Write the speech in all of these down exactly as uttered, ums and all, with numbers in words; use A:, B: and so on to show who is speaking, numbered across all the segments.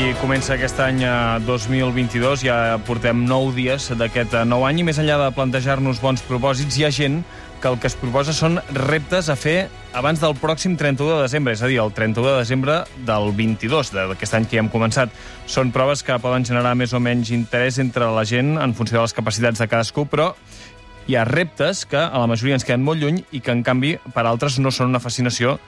A: I comença aquest any dos mil vint-i-dos, ja portem nou dies d'aquest nou any, i més enllà de plantejar-nos bons propòsits, hi ha gent que el que es proposa són reptes a fer abans del pròxim trenta-u de desembre, és a dir, el trenta-u de desembre del vint-i-dos, d'aquest any que ja hem començat. Són proves que poden generar més o menys interès entre la gent en funció de les capacitats de cadascú, però hi ha reptes que a la majoria ens queden molt lluny i que, en canvi, per altres no són una fascinació,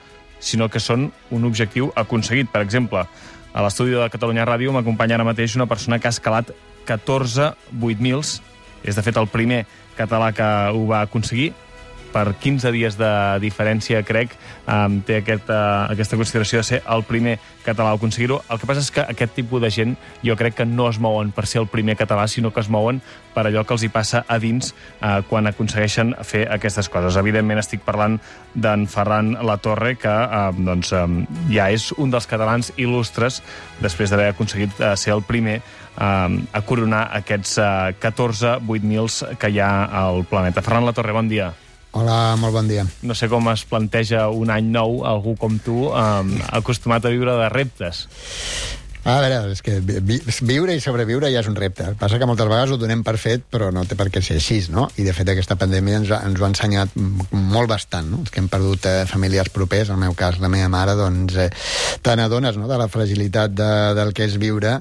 A: sinó que són un objectiu aconseguit. Per exemple, a l'estudi de Catalunya Ràdio m'acompanya ara mateix una persona que ha escalat catorze vuit mils. És, de fet, el primer català que ho va aconseguir. Per quinze dies de diferència, crec, um, té aquest, uh, aquesta consideració de ser el primer català a aconseguir-ho. El que passa és que aquest tipus de gent jo crec que no es mouen per ser el primer català, sinó que es mouen per allò que els hi passa a dins uh, quan aconsegueixen fer aquestes coses. Evidentment estic parlant d'en Ferran Latorre, que uh, doncs, um, ja és un dels catalans il·lustres després d'haver aconseguit uh, ser el primer uh, a coronar aquests uh, catorze vuit mils que hi ha al planeta. Ferran Latorre, bon dia.
B: Hola, molt bon dia.
A: No sé com es planteja un any nou algú com tu, eh, acostumat a viure de reptes.
B: A veure, és que vi viure i sobreviure ja és un repte. El que passa que moltes vegades ho donem per fet, però no té per què ser així, no? I, de fet, aquesta pandèmia ens, ha, ens ho ha ensenyat molt bastant, no? Els que hem perdut eh, familiars propers, en el meu cas, la meva mare, doncs, eh, te n'adones, no?, de la fragilitat de, del que és viure,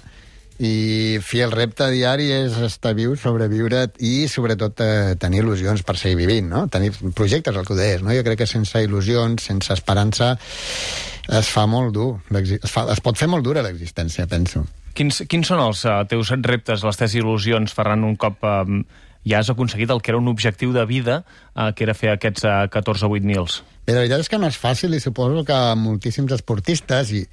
B: i fi, el repte diari és estar viu, sobreviure i, sobretot, eh, tenir il·lusions per seguir vivint, no? Tenir projectes, el que ho deies, no? Jo crec que sense il·lusions, sense esperança, es fa molt dur. Es, fa, es pot fer molt dura l'existència, penso.
A: Quins, quins són els uh, teus reptes, les teves il·lusions, Ferran, un cop uh, ja has aconseguit el que era un objectiu de vida, uh, que era fer aquests uh, catorze vuit mils?
B: Bé, la veritat és que no és fàcil, i suposo que moltíssims esportistes, i,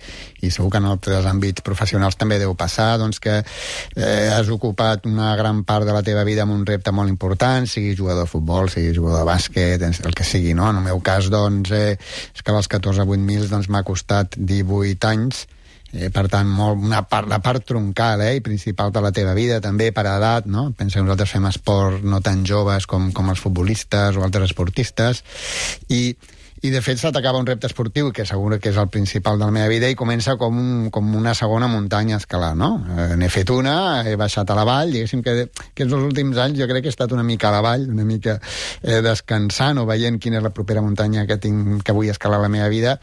B: i segur que en altres àmbits professionals també deu passar, doncs que eh, has ocupat una gran part de la teva vida amb un repte molt important, sigui jugador de futbol, sigui jugador de bàsquet, el que sigui, no? En el meu cas, doncs, eh, és que als catorze vuit mils doncs, m'ha costat divuit anys, Eh, per tant, molt, una part, la part troncal eh, i principal de la teva vida, també per edat, no? Pensa que nosaltres fem esport no tan joves com, com els futbolistes o altres esportistes, i, i de fet s'atacava un repte esportiu que segur que és el principal de la meva vida, i comença com, un, com una segona muntanya a escalar, no? Eh, n'he fet una, he baixat a la vall, diguéssim que, que els últims anys jo crec que he estat una mica a la vall, una mica eh, descansant o veient quina és la propera muntanya que, tinc, que vull escalar a la meva vida,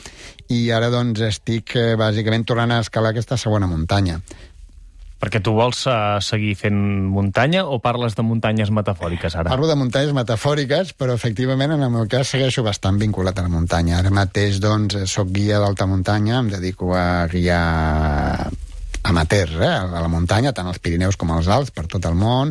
B: i ara doncs estic eh, bàsicament tornant a escalar aquesta segona muntanya.
A: Perquè tu vols uh, seguir fent muntanya o parles de muntanyes metafòriques ara?
B: Parlo de muntanyes metafòriques, però efectivament en el meu cas segueixo bastant vinculat a la muntanya. Ara mateix doncs soc guia d'alta muntanya, em dedico a guiar amateurs, eh, a la muntanya, tant als Pirineus com als Alps, per tot el món.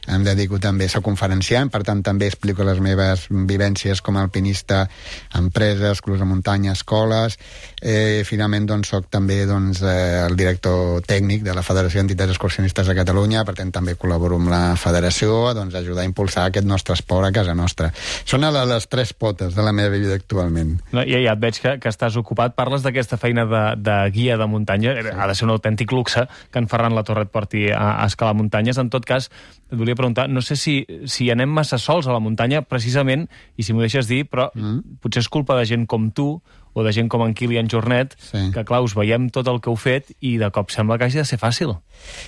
B: Em dedico també a ser conferenciant, per tant també explico les meves vivències com a alpinista a empreses, clubs de muntanya, escoles. Eh, finalment doncs soc també doncs, eh, el director tècnic de la Federació d'Entitats Excursionistes de Catalunya, per tant també col·laboro amb la federació doncs, a ajudar a impulsar aquest nostre esport a casa nostra. Són les tres potes de la meva vida actualment.
A: No, ja, ja et veig que, que estàs ocupat. Parles d'aquesta feina de, de guia de muntanya. Sí. Ha de ser un autèntic luxe que en Ferran Latorre et porti a, a escalar muntanyes. En tot cas, et volia preguntar, no sé si, si anem massa sols a la muntanya, precisament, i si m'ho deixes dir, però mm. potser és culpa de gent com tu, o de gent com en Kilian Jornet, sí. que, clar, us veiem tot el que heu fet i de cop sembla que hagi de ser fàcil.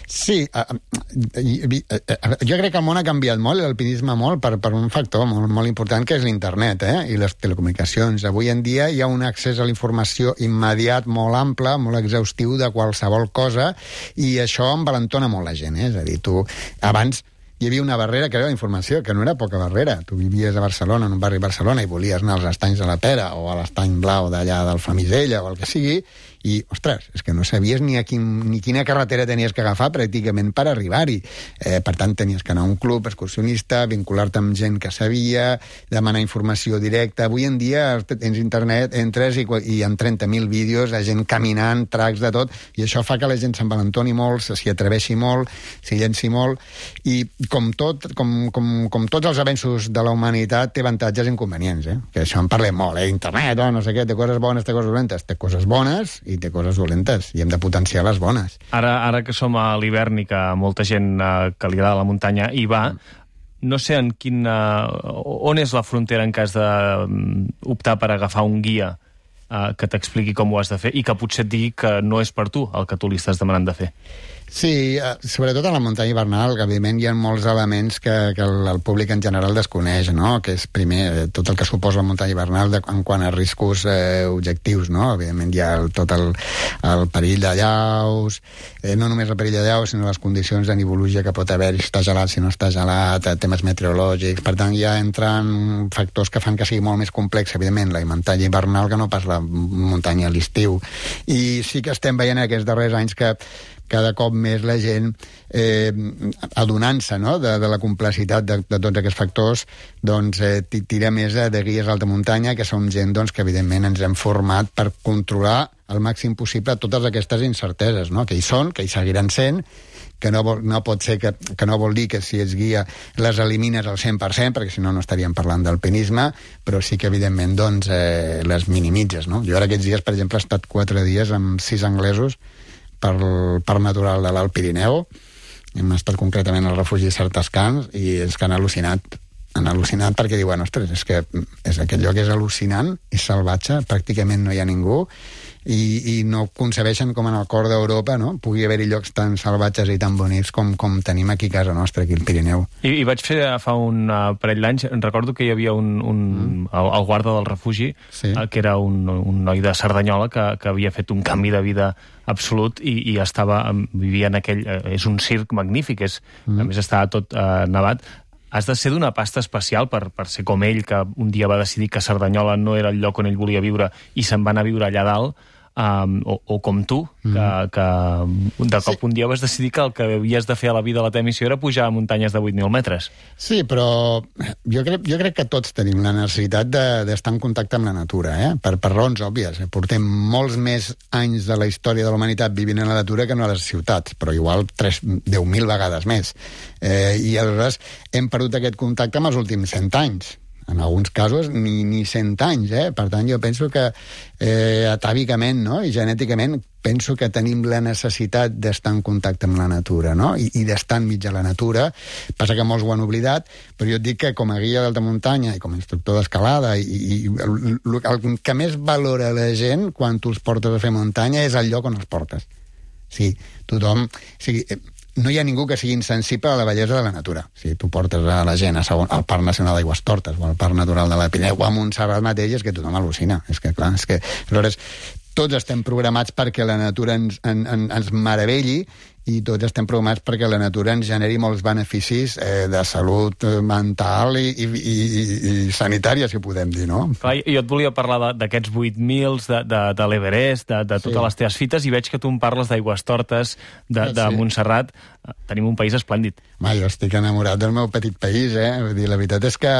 B: Sí, uh, uh, jo crec que el món ha canviat molt, l'alpinisme molt, per, per un factor molt, molt important, que és l'internet eh? i les telecomunicacions. Avui en dia hi ha un accés a la informació immediat, molt ample, molt exhaustiu de qualsevol cosa, i això envalentona molt la gent. Eh? És a dir, tu abans hi havia una barrera que era la informació, que no era poca barrera. Tu vivies a Barcelona, en un barri de Barcelona, i volies anar als estanys de la Pera o a l'estany blau d'allà del Flamisella o el que sigui, i, ostres, és que no sabies ni, a quin, ni quina carretera tenies que agafar pràcticament per arribar-hi. Eh, per tant, tenies que anar a un club excursionista, vincular-te amb gent que sabia, demanar informació directa. Avui en dia tens internet, entres i, i en trenta mil vídeos de gent caminant, tracks de tot, i això fa que la gent s'envalentoni molt, s'hi atreveixi molt, s'hi llenci molt, i com, tot, com, com, com tots els avenços de la humanitat té avantatges i inconvenients, eh? Que això en parlem molt, eh? Internet, oh, no sé què, té coses bones, té coses dolentes, té coses bones i té coses dolentes, i hem de potenciar les bones.
A: Ara, ara que som a l'hivern i que molta gent eh, que li agrada la muntanya hi va, no sé en quin, uh, on és la frontera en cas d'optar per agafar un guia eh, que t'expliqui com ho has de fer i que potser et digui que no és per tu el que tu li estàs demanant de fer.
B: Sí, sobretot a la muntanya hivernal, que evidentment hi ha molts elements que, que el, el públic en general desconeix, no? Que és, primer, tot el que suposa la muntanya hivernal de, en quant a riscos eh, objectius, no? Evidentment hi ha el, tot el, el perill de llaus, eh, no només el perill de llaus, sinó les condicions de nivologia que pot haver, si està gelat, si no està gelat, temes meteorològics. Per tant, ja entren factors que fan que sigui molt més complex, evidentment, la muntanya hivernal que no pas la muntanya a l'estiu. I sí que estem veient aquests darrers anys que cada cop més la gent, eh, adonant-se, no?, de, de la complexitat de, de tots aquests factors, doncs eh, tira més de, de guies d'alta muntanya, que som gent doncs, que evidentment ens hem format per controlar al màxim possible totes aquestes incerteses, no?, que hi són, que hi seguiran sent, que no, vol, no pot ser que, que no vol dir que si ets guia les elimines al cent per cent, perquè si no no estaríem parlant d'alpinisme, però sí que evidentment doncs, eh, les minimitzes, no? Jo ara aquests dies, per exemple, he estat quatre dies amb sis anglesos per Parc Natural de l'Alt Pirineu. Hem estat concretament al refugi Sartascans i és que han al·lucinat han al·lucinat perquè diuen, ostres, és que és, aquest lloc és al·lucinant, és salvatge, pràcticament no hi ha ningú i, i no concebeixen com en el cor d'Europa, no?, pugui haver-hi llocs tan salvatges i tan bonics com, com tenim aquí a casa nostra, aquí al Pirineu.
A: I, i vaig fer fa un uh, parell d'anys, recordo que hi havia un, un mm. el, el guarda del refugi, sí. uh, que era un, un noi de Cerdanyola que, que havia fet un canvi de vida absolut i, i estava, vivia en aquell... Uh, és un circ magnífic, és, mm. a més estava tot uh, nevat. Has de ser d'una pasta especial per, per ser com ell, que un dia va decidir que Cerdanyola no era el lloc on ell volia viure i se'n va anar a viure allà dalt, um, o, o com tu, que, mm. que de cop sí. un dia vas decidir que el que havies de fer a la vida a la teva missió era pujar a muntanyes de vuit mil metres.
B: Sí, però jo crec, jo crec que tots tenim la necessitat d'estar de, en contacte amb la natura, eh? per, per raons òbvies. Portem molts més anys de la història de la humanitat vivint en la natura que no a les ciutats, però igual deu mil vegades més. Eh, I aleshores hem perdut aquest contacte en els últims cent anys. En alguns casos ni, ni cent anys, eh? Per tant, jo penso que eh, atàvicament, no?, i genèticament penso que tenim la necessitat d'estar en contacte amb la natura, no?, i, i d'estar enmig de la natura. Passa que molts ho han oblidat, però jo et dic que com a guia d'alta muntanya i com a instructor d'escalada i, i el, el que més valora la gent quan tu els portes a fer muntanya és el lloc on els portes. Sí, tothom... O sigui, no hi ha ningú que sigui insensible a la bellesa de la natura. Si tu portes a la gent a segon, al Parc Nacional d'Aigüestortes o al Parc Natural de la Pirineu o a Montserrat mateix, és que tothom al·lucina. És que, clar, és que... Aleshores, tots estem programats perquè la natura ens, en, en, ens meravelli i tots estem programats perquè la natura ens generi molts beneficis eh, de salut mental i, i, i, i sanitària, si ho podem dir, no?
A: Clar, jo et volia parlar d'aquests vuit mils, de, de, de l'Everest, de, de totes sí. les teves fites, i veig que tu em parles d'Aigüestortes, de, de sí. Montserrat. Tenim un país esplèndid.
B: Ma, jo estic enamorat del meu petit país, eh? Vull dir, la veritat és que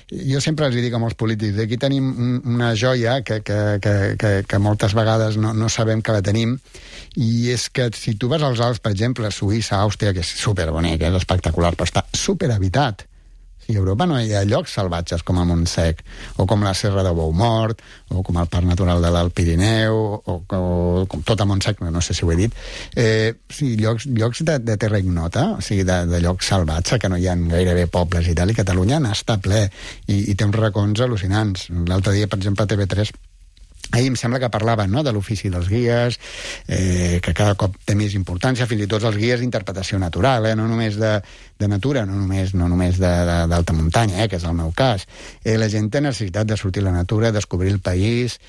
B: jo sempre els dic a molts polítics, aquí tenim una joia que, que, que, que, que moltes vegades no, no sabem que la tenim, i és que si tu vas als Alps, per exemple, a Suïssa, Àustria, que és superbonic, és espectacular, però està superhabitat. Sí, a Europa no hi ha llocs salvatges com a Montsec, o com la Serra de Boumort, o com el Parc Natural de l'Alt Pirineu, o, o com tot a Montsec, no sé si ho he dit. Eh, sí, llocs, llocs de, de terra ignota, o sigui, de, de llocs salvatge, que no hi ha gairebé pobles i tal, i Catalunya n'està ple, i, i té uns racons al·lucinants. L'altre dia, per exemple, a T V tres, ahir em sembla que parlaven, no?, de l'ofici dels guies, eh, que cada cop té més importància, fins i tot els guies d'interpretació natural, eh, no només de, de natura, no només, no només d'alta de, de, muntanya, eh, que és el meu cas. Eh, la gent té necessitat de sortir a la natura, descobrir el país,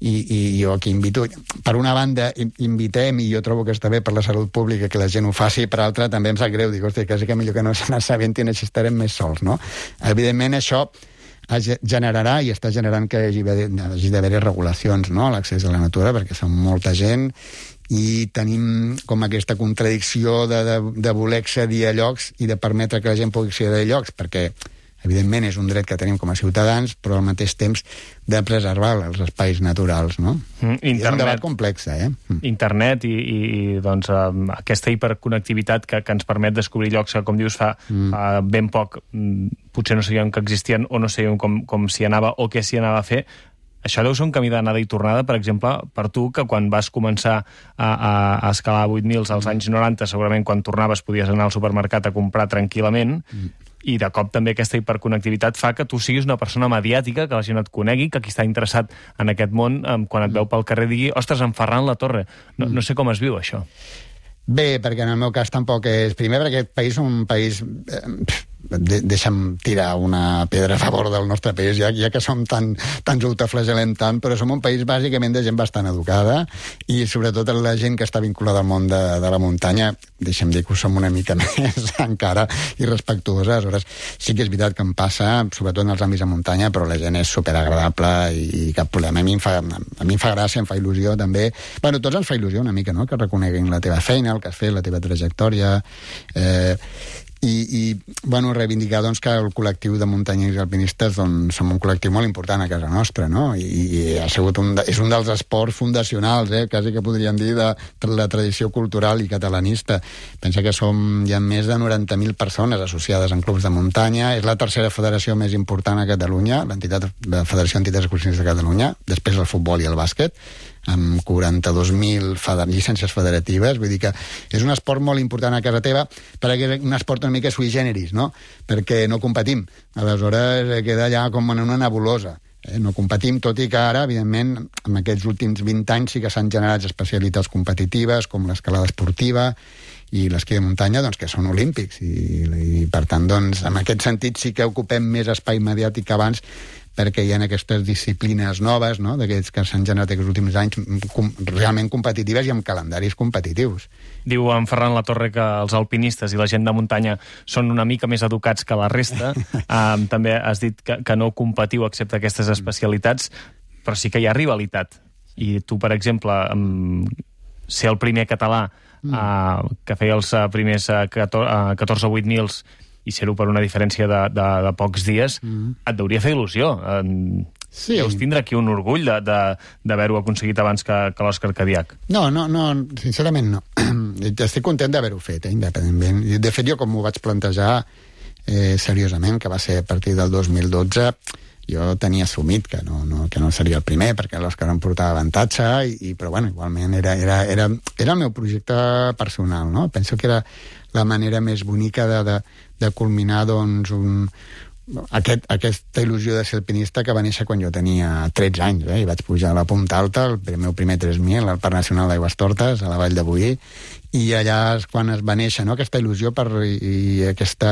B: i, i jo aquí invito... Per una banda, invitem, i jo trobo que està bé per la salut pública que la gent ho faci, per altra també em sap greu, dic, hosti, quasi que millor que no se n'assabentin, així estarem més sols, no? Evidentment, això generarà i està generant que hi hagi d'haver regulacions, no?, a l'accés a la natura, perquè som molta gent i tenim com aquesta contradicció de, de, de voler accedir a llocs i de permetre que la gent pugui accedir a llocs, perquè evidentment és un dret que tenim com a ciutadans, però al mateix temps de preservar els espais naturals, no? Mm, internet, és un debat complex, eh? Mm.
A: Internet i, i, i doncs, um, aquesta hiperconnectivitat que, que ens permet descobrir llocs que, com dius, fa, mm. fa ben poc potser no sabíem que existien o no sabíem com, com s'hi anava o què s'hi anava a fer. Això deu ser un camí d'anada i tornada, per exemple, per tu, que quan vas començar a, a, a escalar vuit mils als anys noranta, segurament quan tornaves podies anar al supermercat a comprar tranquil·lament, mm. i de cop també aquesta hiperconnectivitat fa que tu siguis una persona mediàtica, que la gent et conegui, que qui està interessat en aquest món, quan et veu pel carrer digui, ostres, en Ferran Latorre. No, no sé com es viu això.
B: Bé, perquè en el meu cas tampoc és... Primer, perquè aquest país és un país... Eh, de, deixa'm tirar una pedra a favor del nostre país, ja, ja que som tan, tan autoflagel·lem tant, però som un país bàsicament de gent bastant educada i sobretot la gent que està vinculada al món de, de la muntanya, deixa'm dir que ho som una mica més encara irrespectuosa. Aleshores, sí que és veritat que em passa, sobretot en els àmbits de muntanya, però la gent és superagradable i, i cap problema. A mi, em fa, a mi em fa gràcia, em fa il·lusió també. Bueno, tots ens fa il·lusió una mica, no?, que reconeguin la teva feina, el que has fet, la teva trajectòria... Eh, I, i bueno, reivindicar doncs, que el col·lectiu de muntanyers i alpinistes doncs, som un col·lectiu molt important a casa nostra, no? I, i ha sigut un de, és un dels esports fundacionals, eh? Quasi que podríem dir, de, de la tradició cultural i catalanista. Pensa que som, hi ha més de noranta mil persones associades en clubs de muntanya, és la tercera federació més important a Catalunya, l'entitat, la Federació d'Entitats Excursionistes de Catalunya, després el futbol i el bàsquet, amb quaranta-dos mil llicències federatives. Vull dir que és un esport molt important a casa teva, perquè és un esport una mica sui generis, no? Perquè no competim. Aleshores queda allà com en una nebulosa. Eh? No competim, tot i que ara, evidentment, en aquests últims vint anys sí que s'han generat especialitats competitives, com l'escalada esportiva i l'esquí de muntanya, doncs, que són olímpics. I, i per tant, doncs, en aquest sentit sí que ocupem més espai mediàtic que abans, perquè hi ha aquestes disciplines noves, no?, d'aquests que s'han generat aquests últims anys, com, realment competitives i amb calendaris competitius.
A: Diu en Ferran Latorre que els alpinistes i la gent de muntanya són una mica més educats que la resta. um, també has dit que, que no competiu excepte aquestes especialitats, però sí que hi ha rivalitat. I tu, per exemple, um, ser el primer català mm. uh, que feia els uh, primers uh, catorze vuit mils i ser-ho per una diferència de, de, de pocs dies, mm. et deuria fer il·lusió. Sí. Deus tindre aquí un orgull d'haver-ho aconseguit abans que, que l'Òscar Cadiach.
B: No, no, no, sincerament no. Estic content d'haver-ho fet, eh, independentment. De fet, jo com m'ho vaig plantejar eh, seriosament, que va ser a partir del dos mil dotze, jo tenia assumit que no, no, que no seria el primer, perquè l'Òscar em portava avantatge, i, i, però bueno, igualment era, era, era, era el meu projecte personal, no? Penso que era la manera més bonica de, de, de culminar, doncs, un, aquest, aquesta il·lusió de ser alpinista que va néixer quan jo tenia tretze anys, eh? I vaig pujar a la Punta Alta, el meu primer tres mil, al Parc Nacional d'Aigüestortes, a la Vall de Boí, i allà és quan es va néixer, no?, aquesta il·lusió per, i, i aquest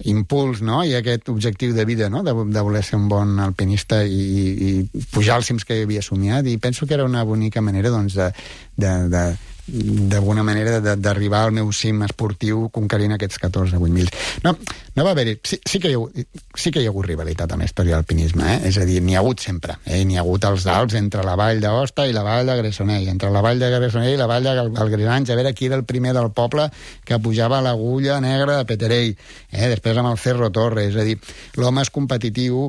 B: impuls, no?, i aquest objectiu de vida, no?, de, de voler ser un bon alpinista i, i pujar als cims que havia somiat, i penso que era una bonica manera, doncs, de, de, de d'alguna manera d'arribar al meu cim esportiu conquerint aquests catorze vuit mil. No, no va haver-hi... Sí, sí, que hi ha, sí que hi ha hagut rivalitat amb la història de l'alpinisme, eh? És a dir, n'hi ha hagut sempre. Eh? N'hi ha hagut els Alps entre la vall d'Aosta i la vall de Gressonell, entre la vall de Gressonell i la vall del Grisanys, a veure qui era el primer del poble que pujava a l'agulla negra de Peterell. Eh? Després amb el Cerro Torre. És a dir, l'home és competitiu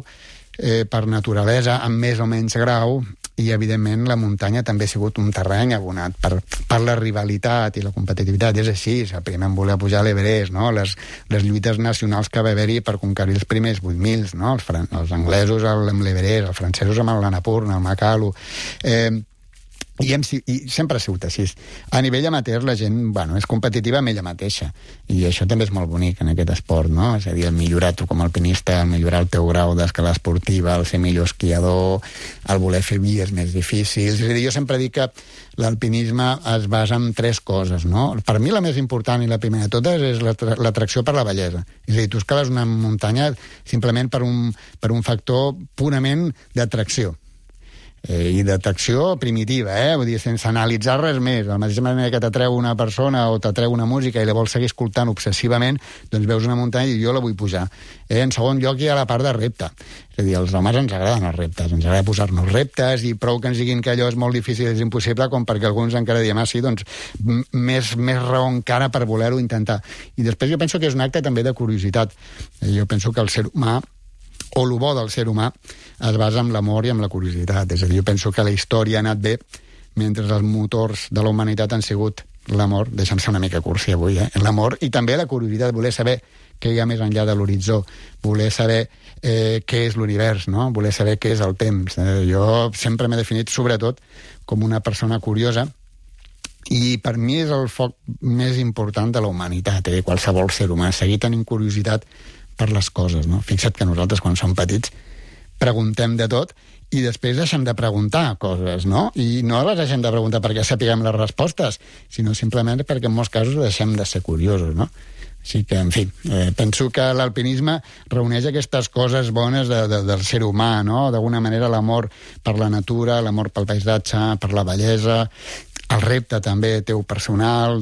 B: eh, per naturalesa, amb més o menys grau, i, evidentment, la muntanya també ha sigut un terreny abonat per, per la rivalitat i la competitivitat. És així, el primer en voler pujar a l'Everest, no? Les, les lluites nacionals que va haver-hi per conquerir els primers vuit mil, no? Els, els anglesos amb l'Everest, els francesos amb l'Annapurna, el Makalu... Eh, I, hem, i sempre ha sigut així. A nivell amateur la gent, bueno, és competitiva amb ella mateixa, i això també és molt bonic en aquest esport, no? És a dir, el millorar tu com a alpinista, el millorar el teu grau d'escalada esportiva, el ser millor esquiador, el voler fer vies més difícils. És a dir, jo sempre dic que l'alpinisme es basa en tres coses, no? Per mi la més important i la primera de totes és l'atracció per la bellesa. És a dir, tu escales una muntanya simplement per un, per un factor purament d'atracció. Eh, i d'atracció primitiva, eh? Vull dir, sense analitzar res més. De la mateixa manera que t'atreu una persona o t'atreu una música i la vols seguir escoltant obsessivament, doncs veus una muntanya i jo la vull pujar. Eh? En segon lloc hi ha la part de repte. És a dir, als homes ens agraden els reptes, ens agrada posar-nos reptes, i prou que ens diguin que allò és molt difícil, és impossible, com perquè alguns encara diem, ah, sí, doncs més, més raó encara per voler-ho intentar. I després jo penso que és un acte també de curiositat. Eh, jo penso que el ser humà, o el bo del ser humà, es basa en l'amor i en la curiositat. És a dir, jo penso que la història ha anat bé mentre els motors de la humanitat han sigut l'amor, deixa'm ser una mica cursi avui, eh? L'amor i també la curiositat, voler saber què hi ha més enllà de l'horitzó, voler saber eh, què és l'univers, no? Voler saber què és el temps. Eh, jo sempre m'he definit, sobretot, com una persona curiosa, i per mi és el foc més important de la humanitat, eh? Qualsevol ser humà, seguir tenint curiositat per les coses, no? Fixa't que nosaltres, quan som petits, preguntem de tot i després deixem de preguntar coses, no? I no les deixem de preguntar perquè sapiguem les respostes, sinó simplement perquè en molts casos deixem de ser curiosos, no? Així que, en fi, eh, penso que l'alpinisme reuneix aquestes coses bones de, de, del ser humà, no? D'alguna manera l'amor per la natura, l'amor pel paisatge, per la bellesa, el repte també teu personal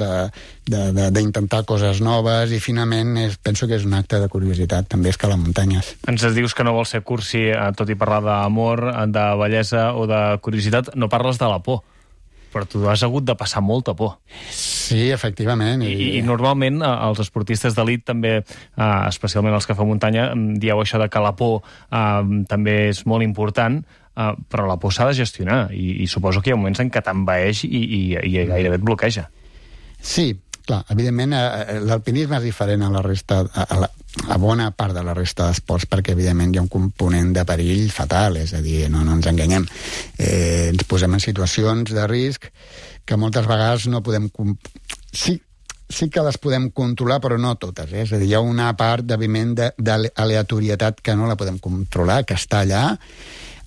B: d'intentar coses noves i finalment és, penso que és un acte de curiositat també escalar muntanyes.
A: Ens dius que no vols ser cursi, tot i parlar d'amor, de bellesa o de curiositat, no parles de la por, però tu has hagut de passar molta por.
B: Sí, efectivament.
A: I, i, i normalment els esportistes d'elit també, eh, especialment els que fan muntanya, dieu això de que la por eh, també és molt important, Uh, però la por s'ha de gestionar i, i suposo que hi ha moments en què t'envaeix i, i, i gairebé et bloqueja.
B: Sí, clar, evidentment eh, l'alpinisme és diferent a la resta, a, a, la, a bona part de la resta d'esports, perquè evidentment hi ha un component de perill fatal, és a dir, no, no ens enganyem. Eh, ens posem en situacions de risc que moltes vegades no podem... Sí, sí que les podem controlar, però no totes. Eh? És a dir, hi ha una part, evidentment, d'aleatorietat que no la podem controlar, que està allà.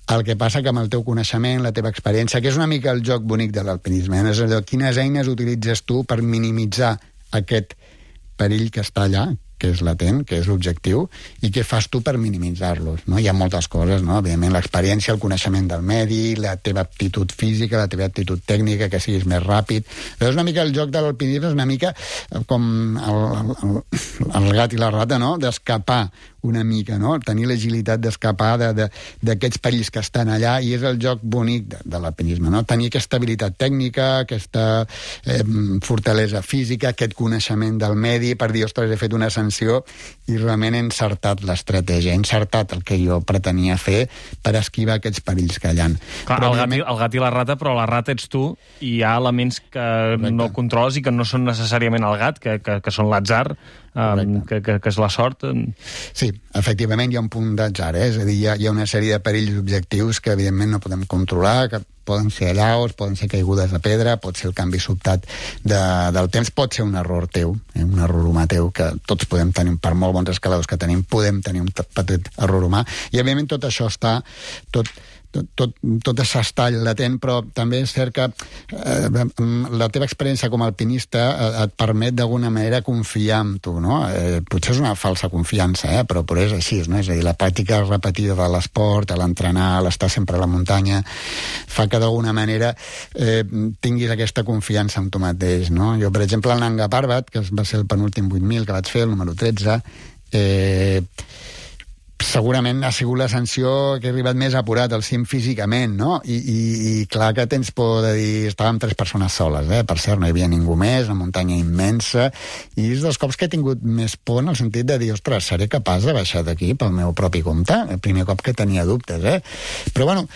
B: El que passa que amb el teu coneixement, la teva experiència, que és una mica el joc bonic de l'alpinisme, eh? És allò, quines eines utilitzes tu per minimitzar aquest perill que està allà, que és latent, que és l'objectiu, i què fas tu per minimitzar-los, no? Hi ha moltes coses, no? Evidentment, l'experiència, el coneixement del medi, la teva aptitud física, la teva aptitud tècnica, que siguis més ràpid. Però és una mica el joc de l'alpinisme, és una mica com el, el, el gat i la rata, no? D'escapar una mica, no? Tenir l'agilitat d'escapar d'aquests perills que estan allà, i és el joc bonic de, de l'alpinisme, no? Tenir aquesta habilitat tècnica, aquesta eh, fortalesa física, aquest coneixement del medi, per dir, ostres, he fet una ascensió i realment he encertat l'estratègia, he encertat el que jo pretenia fer per esquivar aquests perills que hi ha.
A: Clar, el, gat i, el gat i la rata, però la rata ets tu, i hi ha elements que Correcte. No controles i que no són necessàriament el gat, que, que, que són l'atzar, um, que, que, que és la sort.
B: Sí, efectivament hi ha un punt d'atzar, eh? És a dir, hi ha, hi ha una sèrie de perills objectius que evidentment no podem controlar, que poden ser allaus, poden ser caigudes de pedra, pot ser el canvi sobtat de, del temps, pot ser un error teu, eh? Un error humà teu, que tots podem tenir, per molt bons escaladors que tenim, podem tenir un petit error humà, i evidentment tot això està, tot, tot, tot, tot s'està latent, però també és cert que eh, la teva experiència com a alpinista et permet d'alguna manera confiar en tu, no? Eh, potser és una falsa confiança, eh? però, però és així, no? És a dir, la pràctica repetida de l'esport, l'entrenar, l'estar sempre a la muntanya, fa que d'alguna manera eh, tinguis aquesta confiança en tu mateix, no? Jo, per exemple, el Nanga Parbat, que va ser el penúltim vuit mil que vaig fer, el número tretze, eh, segurament ha sigut l'ascensió que he arribat més apurat al cim físicament, no? I, i, i clar que tens por de dir... Estàvem tres persones soles, eh? Per cert, no hi havia ningú més, una muntanya immensa, i és dels cops que he tingut més por en el sentit de dir, ostres, seré capaç de baixar d'aquí pel meu propi compte? El primer cop que tenia dubtes, eh? Però, bueno,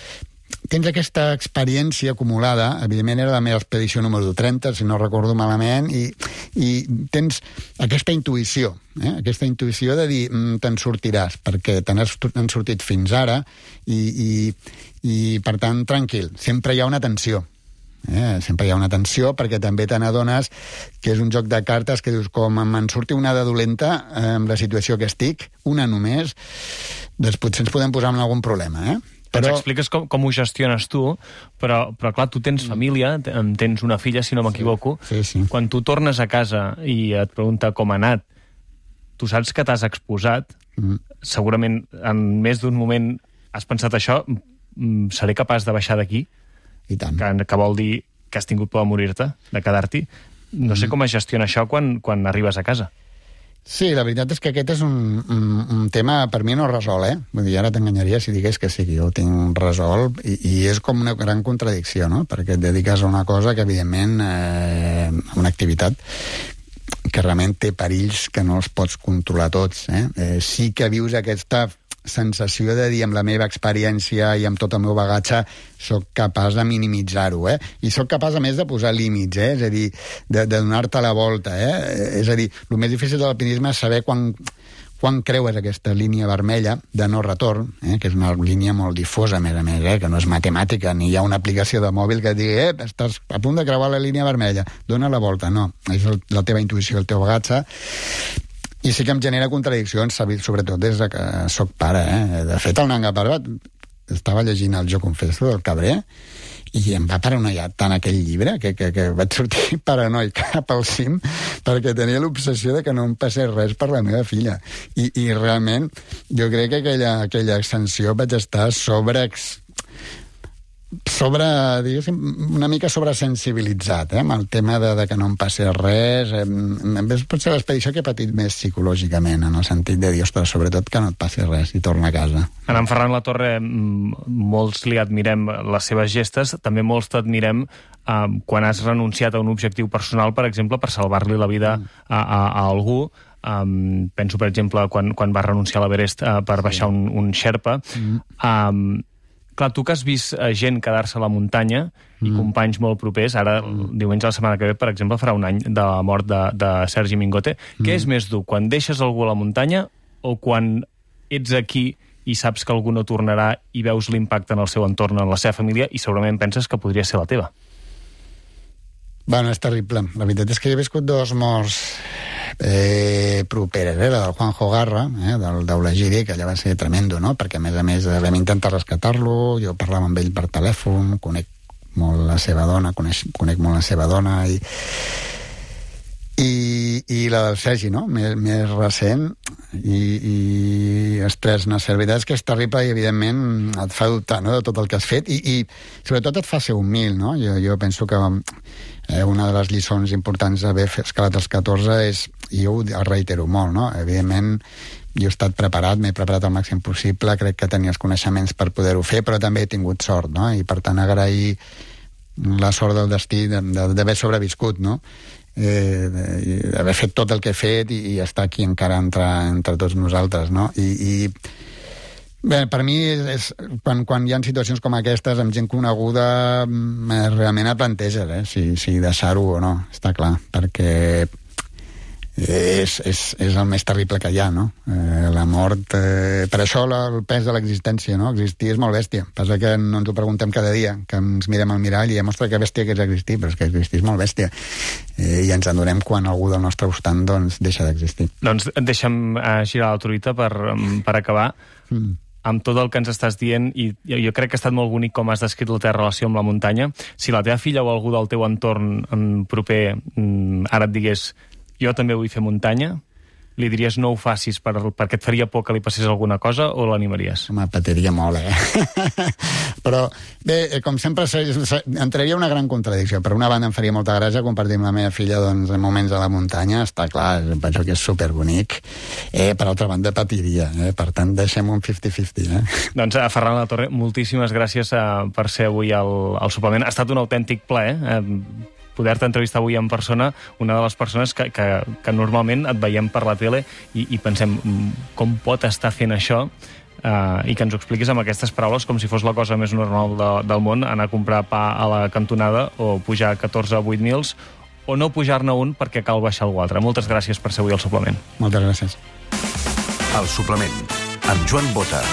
B: tens aquesta experiència acumulada, evidentment era la meva expedició número trenta, si no recordo malament, i, i tens aquesta intuïció, eh? aquesta intuïció de dir, mm, te'n sortiràs, perquè te n'has sortit fins ara, i, i, i per tant, tranquil, sempre hi ha una tensió. Eh? Sempre hi ha una tensió, perquè també te n'adones que és un joc de cartes que dius, com me'n surti una de dolenta eh, amb la situació que estic, una només, doncs potser ens podem posar en algun problema, eh?
A: Però... Ens expliques com, com ho gestiones tu, però, però clar, tu tens família, tens una filla, si no m'equivoco.
B: Sí, sí, sí.
A: Quan tu tornes a casa i et pregunta com ha anat, tu saps que t'has exposat, mm. segurament en més d'un moment has pensat això, seré capaç de baixar d'aquí?
B: I tant.
A: Que, que vol dir que has tingut por de morir-te, de quedar-t'hi. No sé com es gestiona això quan, quan arribes a casa.
B: Sí, la veritat és que aquest és un, un, un tema per mi no resol, eh? Vull dir, ara t'enganyaria si digués que sí, que jo ho tinc resolt, i, i és com una gran contradicció, no? Perquè et dediques a una cosa que, evidentment, eh, una activitat que realment té perills que no els pots controlar tots, eh? eh sí que vius aquesta sensació de dir, amb la meva experiència i amb tot el meu bagatge, sóc capaç de minimitzar-ho, eh? I sóc capaç, a més, de posar límits, eh? És a dir, de, de donar-te la volta, eh? És a dir, el més difícil de l'alpinisme és saber quan, quan creues aquesta línia vermella de no retorn, eh? Que és una línia molt difosa, a més a més, eh? Que no és matemàtica, ni hi ha una aplicació de mòbil que et digui, eh, estàs a punt de creuar la línia vermella, dona la volta. No, és el, la teva intuïció, el teu bagatge. I sí que em genera contradiccions, sobretot des de que sóc pare. Eh? De fet, el Nanga Parbat estava llegint el Jo confesso del Cabré i em va paranoiar tant aquell llibre que, que, que vaig sortir paranoic cap al cim perquè tenia l'obsessió de que no em passés res per la meva filla. I, i realment jo crec que aquella, aquella ascensió vaig estar sobre... sobre, diguéssim, una mica sobresensibilitzat, eh, amb el tema de, de que no em passi res. Eh, pot ser l'expedició que he patit més psicològicament, en el sentit de dir, ostres, sobretot que no et passi res i torna a casa.
A: En en Ferran Latorre, molts li admirem les seves gestes, també molts t'admirem eh, quan has renunciat a un objectiu personal, per exemple, per salvar-li la vida a, a, a algú. Um, penso, per exemple, quan, quan va renunciar a l'Everest uh, per baixar un, un Sherpa. Mm. Um, Clar, tu que has vist gent quedar-se a la muntanya i mm. companys molt propers, ara mm. diumenge la setmana que ve, per exemple, farà un any de la mort de, de Sergi Mingote. Mm. Què és més dur, quan deixes algú a la muntanya o quan ets aquí i saps que algú no tornarà i veus l'impacte en el seu entorn, en la seva família, i segurament penses que podria ser la teva?
B: Bueno, és terrible. La veritat és que he viscut dos morts eh, properes, eh? La del Juanjo Garra, eh? del d'Eulagiri, que allà va ser tremendo, no? Perquè, a més a més, vam intentar rescatar-lo, jo parlava amb ell per telèfon, conec molt la seva dona, conec, conec molt la seva dona, i, i, i la del Sergi, no? Més, més recent, i, i ostres, no sé, la veritat és que és terrible i, evidentment, et fa dubtar, no?, de tot el que has fet, i, i sobretot et fa ser humil, no? Jo, jo penso que Eh, una de les lliçons importants d'haver escalat els catorze és, i jo ho reitero molt, no? Evidentment, jo he estat preparat, m'he preparat al màxim possible, crec que tenia els coneixements per poder-ho fer, però també he tingut sort, no? I per tant agrair la sort del destí d'haver sobreviscut, no? Eh, d'haver fet tot el que he fet i, i estar aquí encara entre, entre tots nosaltres, no? I, i bé, per mi, és, és, quan, quan hi ha situacions com aquestes, amb gent coneguda, realment et planteges, eh? si, si deixar-ho o no, està clar, perquè és, és, és el més terrible que hi ha, no? Eh, la mort... Eh, per això la, el pes de l'existència, no? Existir és molt bèstia. Passa que no ens ho preguntem cada dia, que ens mirem al mirall i diem, ostres, que bèstia que és existir, però és que existir és molt bèstia. Eh, I ens adonem quan algú del nostre voltant doncs, deixa d'existir.
A: Doncs deixa'm eh, girar la truita per, per acabar. Mm. Amb tot el que ens estàs dient, i jo crec que ha estat molt bonic com has descrit la teva relació amb la muntanya. Si la teva filla o algú del teu entorn proper ara et digués jo també vull fer muntanya, li diries no ho facis per, perquè et faria por que li passés alguna cosa, o l'animaries?
B: Home, patiria molt, eh? Però, bé, com sempre, entraria una gran contradicció. Per una banda, em faria molta gràcia compartir amb la meva filla doncs, en moments a la muntanya, està clar, penso que és superbonic. Eh, per altra banda, patiria, eh? Per tant, deixem un cinquanta cinquanta, eh?
A: Doncs, a Ferran Latorre, moltíssimes gràcies uh, per ser avui al, al suplement. Ha estat un autèntic plaer, eh? Poder-te entrevistar avui en persona, una de les persones que, que, que normalment et veiem per la tele i, i pensem com pot estar fent això, eh, i que ens ho expliquis amb aquestes paraules com si fos la cosa més normal de, del món, anar a comprar pa a la cantonada o pujar catorze o vuit mils o no pujar-ne un perquè cal baixar algú altre. Moltes gràcies per ser avui al suplement.
B: Moltes gràcies.
C: El suplement, amb Joan Bota.